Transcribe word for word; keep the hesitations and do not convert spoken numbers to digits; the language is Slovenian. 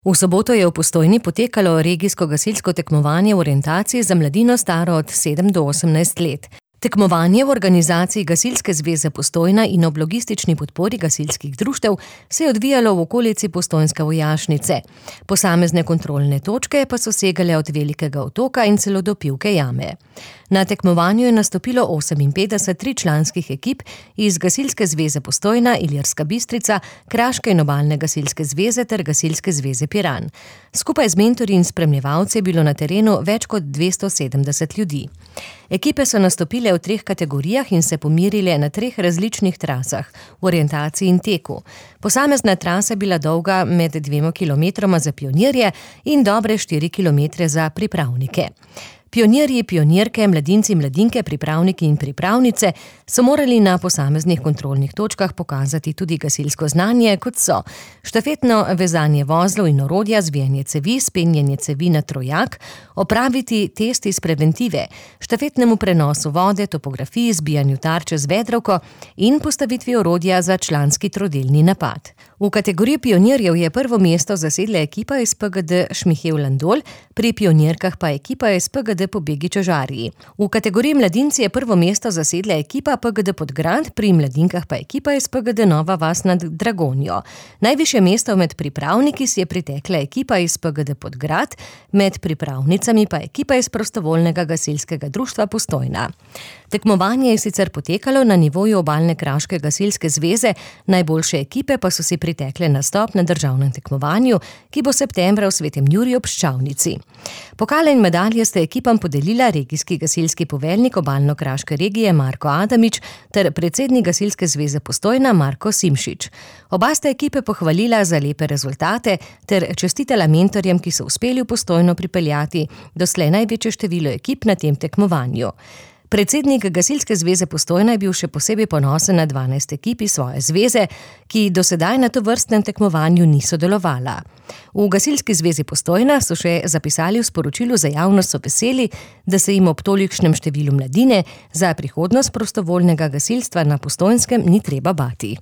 V soboto je v Postojni potekalo regijsko gasilsko tekmovanje v orientaciji za mladino staro od sedem do osemnajst let. Tekmovanje v organizaciji Gasilske zveze Postojna in ob logistični podpori gasilskih društev se je odvijalo v okolici postojnske vojašnice. Posamezne kontrolne točke pa so segale od Velikega otoka in celo do Pivke jame. Na tekmovanju je nastopilo oseminpetdeset tričlanskih ekip iz Gasilske zveze Postojna, Ilirska Bistrica, Kraške in obalne gasilske zveze ter Gasilske zveze Piran. Skupaj z mentorji in spremljevalci je bilo na terenu več kot dvesto sedemdeset ljudi. Ekipe so nastopile v treh kategorijah in se pomerile na treh različnih trasah, v orientaciji in teku. Posamezna trasa je bila dolga med dvema kilometroma za pionirje in dobre štiri kilometre za pripravnike. Pionirji, pionirke, mladinci, mladinke, pripravniki in pripravnice so morali na posameznih kontrolnih točkah pokazati tudi gasilsko znanje, kot so štafetno vezanje vozlov in orodja, zvijanje cevi, spenjanje cevi na trojak, opraviti test iz preventive, štafetnemu prenosu vode, topografiji, zbijanju tarče z vedrovko in postavitvi orodja za članski trodelni napad. V kategoriji pionirjev je prvo mesto zasedla ekipa iz P G D Šmihev Landol, pri pionirkah pa ekipa iz P G D Pobegi Čožarji. V kategoriji mladinci je prvo mesto zasedla ekipa P G D Podgrad, pri mladinkah pa ekipa iz P G D Nova vas nad Dragonjo. Najvišje mesto med pripravniki si je pritekla ekipa iz P G D Podgrad, med pripravnicami pa ekipa iz Prostovoljnega gasilskega društva Postojna. Tekmovanje je sicer potekalo na nivoju obalne kraške gasilske zveze, najboljše ekipe pa so si pritekle nastop na državnem tekmovanju, ki bo septembra v Svetem Juriju ob Ščavnici. Pokale in medalje sta ekipam podelila regijski gasilski poveljnik obalno-kraške regije Marko Adamič ter predsednik Gasilske zveze Postojna Marko Simšič. Oba sta ekipe pohvalila za lepe rezultate ter čestitala mentorjem, ki so uspeli v Postojno pripeljati doslej največje število ekip na tem tekmovanju. Predsednik Gasilske zveze Postojna je bil še posebej ponosen na dvanajst ekip iz svoje zveze, ki do sedaj na tovrstnem tekmovanju niso delovala. V Gasilski zvezi Postojna so še zapisali v sporočilu za javnost, so veseli, da se jim ob tolikšnem številu mladine za prihodnost prostovoljnega gasilstva na Postojnskem ni treba bati.